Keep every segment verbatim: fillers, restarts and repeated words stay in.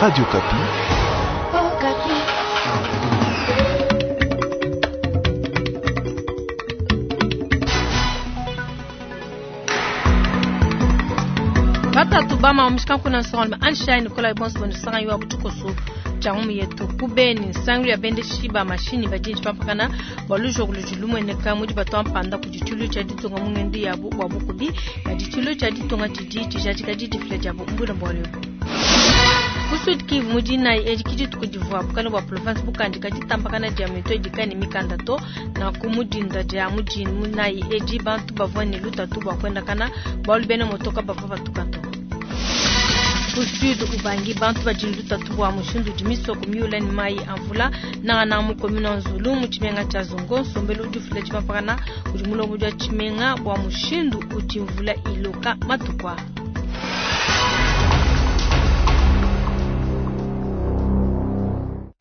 Radio Okapi. Batatu bama omushikanku nsongalume Anshai Nikolai bonso bonisanga wa butukoso tshia yetu kubeni nsangilu ya bendeshi ba mashinyi badi tshipampakana bua lujoku ludi lumueneka mudi batua mpanda kudi tshilu tshia ditunga mu ngendu yabu bua bukubi kadi tshilu tshia ditunga tshidi tshijadika didifila diabu mbula bualu ebu. Ku Sud Kivu mu dinayi edi ke dituku divua bukale bua province bukandika ditambakana dia mito idi ne mikanda to nanku mu dinda dia mu dinayi edi bantu bavua ne lutatu bua kuendakana bualu bena motoka bavua batuka to. Ku Sud Ubangi bantu badi ne lutatu bua mushindu udi misoko miula ne mayi a mvula nangananga mu commune wa Nzulu mu tshimenga tshia Zongo nsombelu udi ufila tshipampakana kudi mulombodi wa tshimenga bua mushindu udi mvula iloka matuku aa.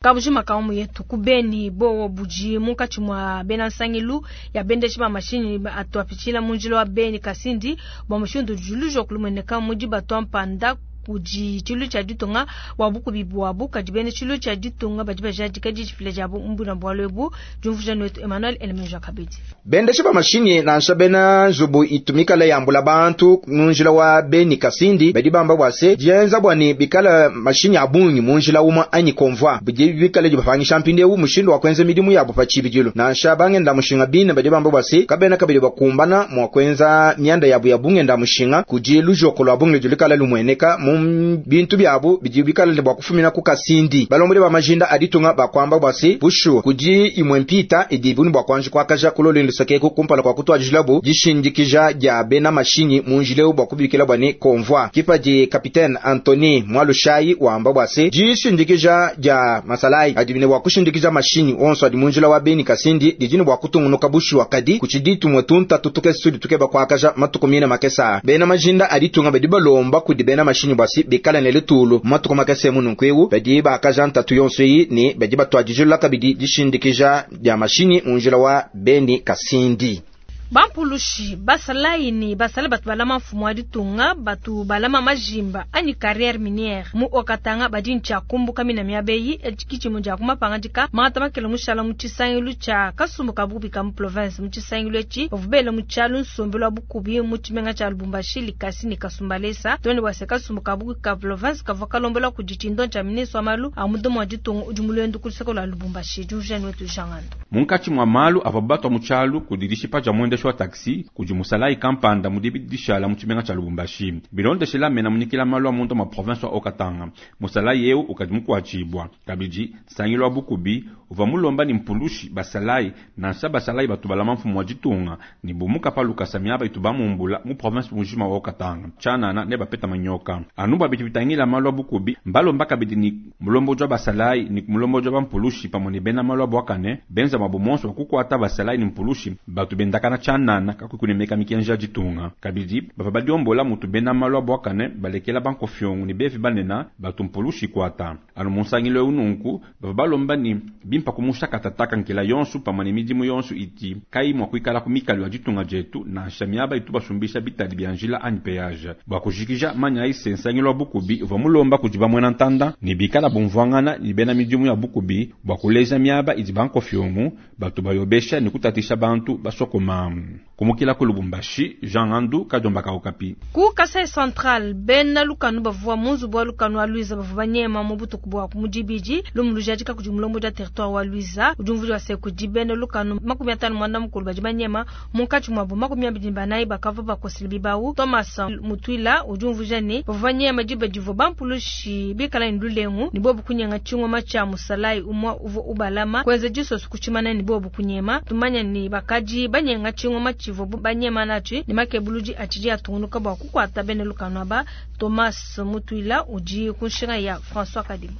Kabujima kaumu yetu kubeni bowo budi munkatshi mua bena nsangilu ya bendeshi ba mashinyi atuapitshila mu njila wa Beni Kasindi bua mushindu udi lujoku lumueneka mudi batua mpanda kudi tshilu tshia ditunga bua bukubi buabu kadi bena tshilu tshia ditunga badi bajadika didifila diabu mbuna bualu ebu diumvuija wetu Emmanuel Elemeja kabidi. Bendeshi ba mashinyi nansha bena nzubu itumikala yambula bantu mu njila wa Beni Kasindi badi bamba bua se dienza bua ne bikala mashinyi a bungi mu njila umue anyi convoi bidi bikala dibapangisha mpindieu mushindu wa kuenza midimu yabu pa tshibidilu nansha bangenda mushinga bine badi bamba bua se kabena kabidi bakumbana mua kuenza mianda yabu ya bungenda mushinga kudi lujoko lua bungi ludi lukala lumueneka mu bintu byabu bidi bikala ne bua kufumina ku Kasindi. Balombodi ba majinda a ditunga bakwamba bua se bushu kudi imwe mpita idi buni bua kuanji kuakaja kulolendo sakeku kumpala kwa kutuajilabu dishindikija dia bena mashinyi mu njileu bua kubikila bua ne convoi. Kipadi capitaine Anthony Mwalushai wamba bua se dishindikija dia masalai adi ne bua kushindikija mashinyi onso adi mu njila wa Beni Kasindi didi ne bua kutungunuka bushu wakadi kuchidi tumwe tunta tutuke sudi tukeba kuakaja matuku mine makesa. Bena majinda a ditunga badi balomba kudi bena mashinyi bua bikala ne lutulu matuku makese mununku badi bakaja ntatu yonso yi ne badi batuadijula kabidi dishindikija dia mashinyi mu njila wa Beni Kasindi. Bampulushi basalayi ne basala batu balama mfumu wa ditunga batu balama majimba anyi carrière minière mu Haut-Katanga badi ntshia kumbuka mina miabeyi etshikitshimu dia kumapangadika mangata makele mushala mu tshisangilu tshia kasumbu ka bukubi ka mu province mu tshisangilu etshi bavua bela mu tshialu nsombelu wa bukubi mu tshimenga tshia Lubumbashi Likasi ne Kasumbalesa tonde bua se kasumbu ka bukubi ka province kavua kalombola kudi tshindo tshia ministre wa malu a mudomo wa ditunga udi mulwendu ku luseke lua Lubumbashi diujani wetu jangana munkatshi mua malu avua batwa mu tshialu kudi dishipa dia muendeshi wa taxi kudi musalayi kampanda mudibi dishala mu tshimenga tshia Lubumbashi bilondeshela mena munyikila malu a munda ma province wa Haut-Katanga musalayi eu ukadi mukuatshibua kabidi nsangilu wa bukubi uva mulomba ni mpulushi basalayi nansha basalayi batu balama mfumu wa ditunga ni bumuka pa lukasa miaba itu bamumbula mu province mujima wa Haut-Katanga tshanana ne bapeta manyoka anu bua bidi bitangila malu a bukubi mbalomba kabidi ni mulomboji wa basalayi ni mulomboji wa bampulushi pamue ne bena malu a buakane benza mwabu monso wa kukuata basalayi ni mpulushi batu bendakana tshanana kakukunemeka mikenji ya ditunga kabidi bava badiombola mutu bena malu a buakane balekela bankofyongo ni bevi banena batu mpulushi kuata anu munsangilo eu nunku bava balomba ni bimpa kumusha katataka nkela yonsu pamue ne midimu yonsu iti kai mua kuikala ku mikalu ya ditunga dietu nansha miaba itu basumbisha bitadi bia njila anyi peage bua kujikija manya ise nsangilo wa bukubi uva mulomba kudi bamuena ntanda ni bikala bumvuangana ni bena midimu ya bukubi bua kuleja miaba idi bankofyongo batu bayobesha ni kutatisha bantu basokoma. Kumukila ku Lubumbashi, Jean Andu Kadomba Okapi. Ku Kasai Central bena lukanu bavua munzubu wa lukanu wa Luiza bavua banyema mu butuku bua mu dibidi lumu lujadika kudi mulombo wa territoire wa Luiza udi wa se kudi bena lukanu makumi atanu mwanda mukulu badi banyema munkatshi muabu makumi abidi banayi bakavua bakosela bibawu Thomas Mutwila udi umvuija ne bavua banyema diba divua bampulushi bikala ne lulengu ne bobu kunyenga tshingoma tshia musalayi umua uvua ubalama kuenza disoso kutshimana ne bobu kunyema tumanya ne bakadi banyenga tshingoma tshivua banyema natshi ne makebuludi atshidi atungunuka bua kukuata bena lukanu aba Thomas Mutwila udi ku nshinga ya François Kadima.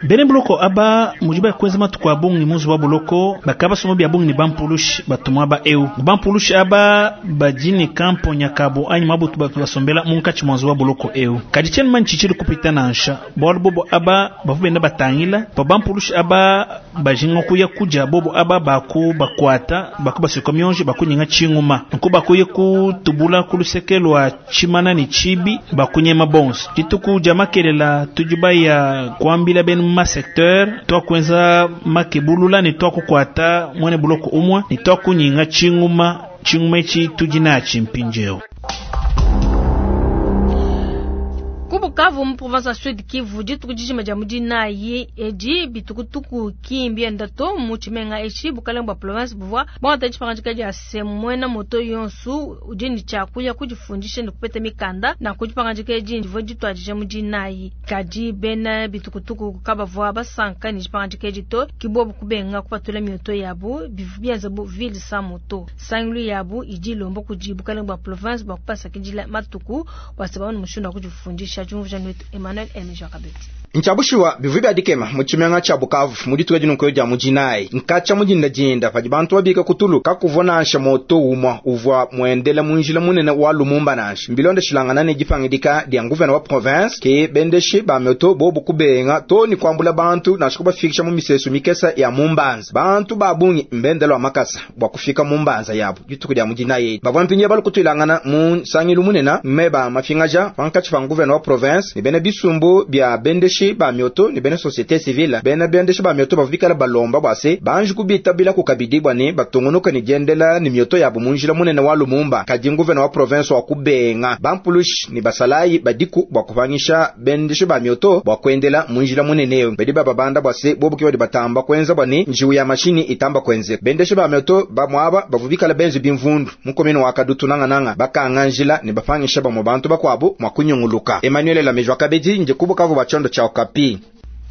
Bene buloko aba mujiba kwenza matuku abungi muzu wa buloko bakaba somo bya bungi ni bampulushi batumwa ba eu bampulushi aba bajini kampo nyakabo anyi mabutu batu basombela munkachi mwanzu wa buloko eu kadi chen man chichili kupita nansha bwalu bobo aba bavubenda batangila pa bampulushi aba bajinga kuya kuja bobo aba baku bakwata baku basikomyonje bakunyinga chinguma nko bakuye kutubula kulusekelwa chimana ni chibi bakunyema bonso dituku jamakelela tujuba ya kuambila benu ma secteur twakwenza makebulula ni twakukwata mwene buloko umwe ni twakunyinga chinguma chinguma ichi tujina chimpinjeo. Kubukavu mu province ya Sud Kivu dituku dijima dia mudinayi edi bitukutuku kimbi ndato mu tshimenga eshi bukalenge bwa province buvua bwangata dipangadika dia se muena moto yonsu udi ne tshia kuya kudifundisha ne kupeta mikanda na kudipangadika edi divua dituadija mudinayi kadi bena bitukutuku kabavua basanka ne dipangadika edi to kibobu kubenga kupatula mioto yabu bivu bienza bu ville sans moto sangulu yabu idi ilomba kudi bukalenge bwa province bwa kupasakidila matuku bua se baone mushindu wa kudifundisha. Emmanuel Elmejakabeti. Nchabushiwa bivu bya dikema mu tshimenga tshia Bukavu mu dituku dinunko dia mudinayi nkatsha mudinda dinda padi bantu babika kutulu kakuvua nansha moto umwa uvua muendela munjila munene wa Lumumba nansha mbilonda shilangana ne dipangidika dia nguvena wa province ke bendeshi ba moto bobu kubenga to ni kwambula bantu nansha kubafikisha mu misesu mikesa ya Mumbanza bantu babungi mbendelo wa makasa bwa kufika Mumbanza yabo dituku dia mudinayi bavua mpinye balukutwilangana mu nsangilu munena meba mafingaja pankatshi pa nguvena wa province ni bene bisumbu bya bendeshi ba mioto ni bene société civile bene bendeshi ba mioto bavikala balomba bwase banji kubita bila kukabidi bwane batungunuka ni diendela ni mioto yabo munjila munene wa Lumumba kadi nguvena wa province wa kubenga bampulushi ni basalayi badiku bwa kupangisha bendeshi ba mioto bwa kuendela munjila munene bedi bababanda bwase bobuki badi batamba kwenza bwane njiwu ya mashini itamba kwenze bendeshi ba mioto bamwaba bavuvikala benzi bimvundu mukomeno wa kadutu nanga nanga bakanga njila ni bapangisha bamwe bantu bakwabo mwakunyunguluka. Emmanuel Lamejwa Kabedi nje kubukavu bachondo cha Okapi.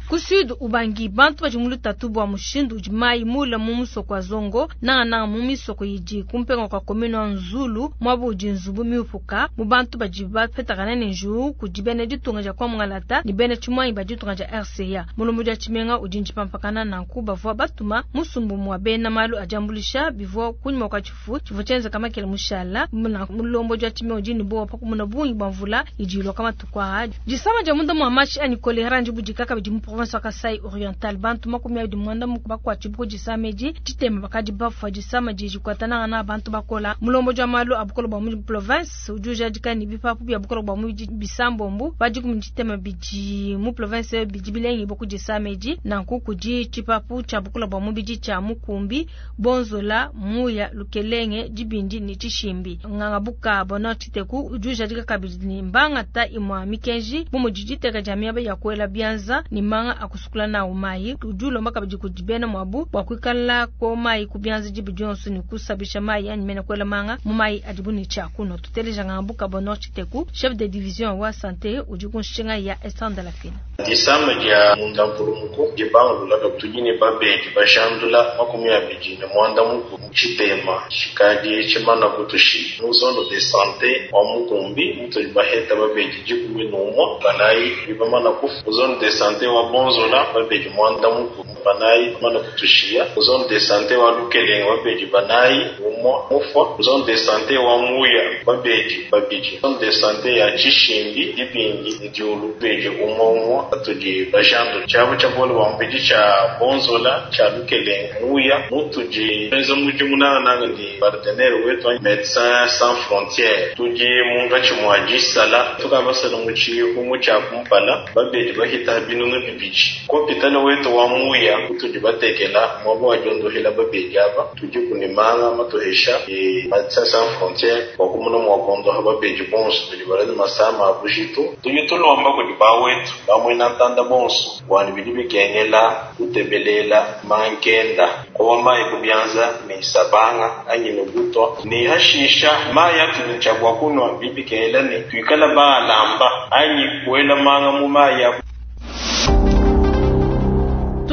Ku Sud Ubangi bantu badi mu lutatu bua mushindu udi mayi mule mu musoko wa Zongo nangananga mu misoko idi kumpenga kwa commune wa Nzulu muaba udi nzubu miupuka mu bantu badi bapetakana ne njuwu kudi bena ditunga dia kwa Mungalata ne bena tshimuanyi ba ditunga dia R C A mulombo dia tshimenga udi ntshipampakana nanku bavua batuma musumbu mua bena malu adiambulisha bivua kunyima kwa tshifu tshivua tshienzeka makele mushala mulombo dia tshimenga udi ne bowa pakumuna bungi bua mvula idi iloka matuku aa disama dia munda mua mashi anyi kolera ndibudika kabidi mu province wa Kasai Oriental bantu makumi abidi mwanda muku bakwachibuko disamedi ditema bakadi bafwa disama dijikwatana na bantu bakola mulombo jwa malu abukolo bwa mu province ujuja dikani bipapu bya bukolo bwa mu bisambombu badi ku ditema bidi mu province bidi bilengi boku disamedi nanku kudi chipapu cha bukolo bwa mu bidi cha mukumbi bonzola muya lukelenge dibindi ni chishimbi nganga buka bona chiteku ujuja dikakabidi ni mbanga ta imwa mikenji bumu diditeka jamia ba yakwela bianza ni manga akusukula na umayi ujulo makabidi kudibena mwabu bwa kwikala ko mayi kubianza jibu Johnson ni kusabisha mayi yani mena kwela manga mumayi adibuni cha kuno tuteleja ngambuka bono chiteku chef de division wa santé ujukunshinga ya Estande la Fina disama dia mundampulumuku dibangulula tujini babedi bashandula makumi abidi ne mwanda muku chitema chikadi chimana kutushi mu zone de santé wa mukumbi mutuli baheta babedi dikumi n'umwe banayi bibamana kufu zone de santé wa bonzola babedi mwanda muku banayi mana kutushia zone de santé wa lukelenge babedi banayi umwe mufwa zone de santé wa muya babedi babidi zone de santé ya chishimbi dibingi diulu bedi umwe umwe atudi bajando chabo chabolo wa mbedi cha bonzola cha lukelenge muya mutuji benzo muji munana nanga ndi partenaire wetu Médecins Sans Frontières tuji munga chimwaji sala tukabasala muchi humu cha kumpala babedi bahita binunu bibiji kopitala wetu wa muya kutuji batekela mwabo wajondohela babedi aba tuji kunimanga matohesha e Médecins Sans Frontières kwa kumuna mwakondoha babedi bonso bidi balani masama abushitu tuji tulomba kudi bawetu bamwena ntanda bonso wani bidi bikengela kutebelela mankenda kowa mayi kubyanza ni sabanga anyi nubutwa ni hashisha maya tunichagwa kunwa bibikengela ni tuikala baalamba anyi kuela manga mu maya.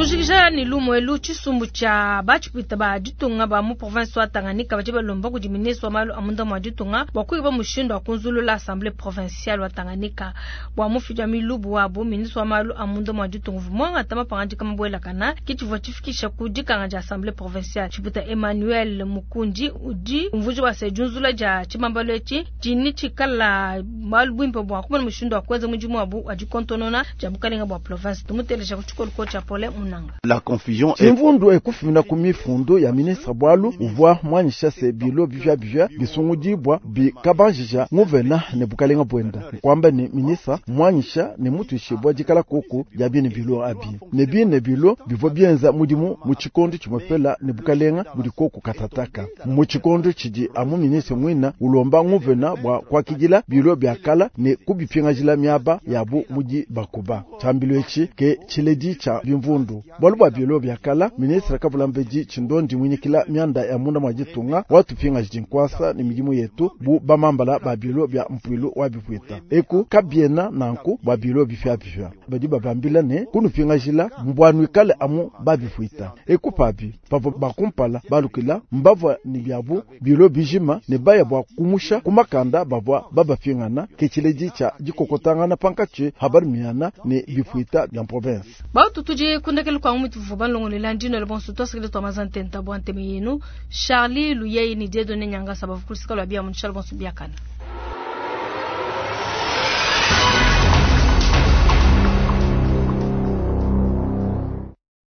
Kujikija ni lumu elu tshisumbu tshia batshipwita ba ditunga ba mu province wa Tanganyika badi balomba kudi ministre wa malu a munda mua ditunga bua kukeba mushindu wa kunzulula assemblée provinciale wa Tanganyika bua mufidi wa milubu wabu. Ministre wa malu a munda mua ditunga uvua muangata mapangadika mabuelakana ke tshivua tshifikisha ku dikanga dia assemblée provinciale. Tshipwita Emmanuel Mukundi udi umvuija bua se diunzula dia tshibambalu etshi dini tshikala malu buimpe bua kumona mushindu wa kuenza mudimu wabu wa dikontonona dia bukalenga bua province. Tumuteleja ku tshikolo tshia Paulin Munanga. La confusion est Tshimvundu ekufumina ku mifundu ya ministre bwalu uvua mwanyisha se bilo bivya bivya bisungudibwa bikabanjija nguvena ne bukalenga bwenda kwamba ni ministre mwanyisha ne mutuishibwa dikala kuku dia bine bilo abi ne bine bilo bivua bienza mudimu mu tshikondo tshimwepela ne bukalenga budi koku katataka mu tshikondo tshidi amu ministre mwina ulomba nguvena bwa kuakidila bilo byakala ne kubipingajila miaba yabu mudi bakuba tshambilo etshi ke tshiledi tshia bimvundu bwalu bwa bilo byakala ministre kavula mbedi tshindondi mwinyikila mianda ya munda mwa ditunga watupingaji dinkwasa ne midimu yetu bu bamambala ba bilo bya mpwilu wa bipwita eku kabiena nanku bwa bilo bipyapipya badi babambila ne kunupingajila mbwanuikale amu babipwita eku pabi pavua bakumpala balukila mbavua ni byabu bilo bijima ne baya bwa kumusha kumakanda bavua babapingana ke tshiledi tshia dikokotangana pankatshi habarimiana ne bipwita bya province. Bautu tudi kundekele kwa mutu vuba longolela ndino le bonso tosikile twa mazantenta bwa nteme yenu Charlie Luyei ni Dieudonné Nyangasa bavukulisika lwa bia munshal bonso biakana.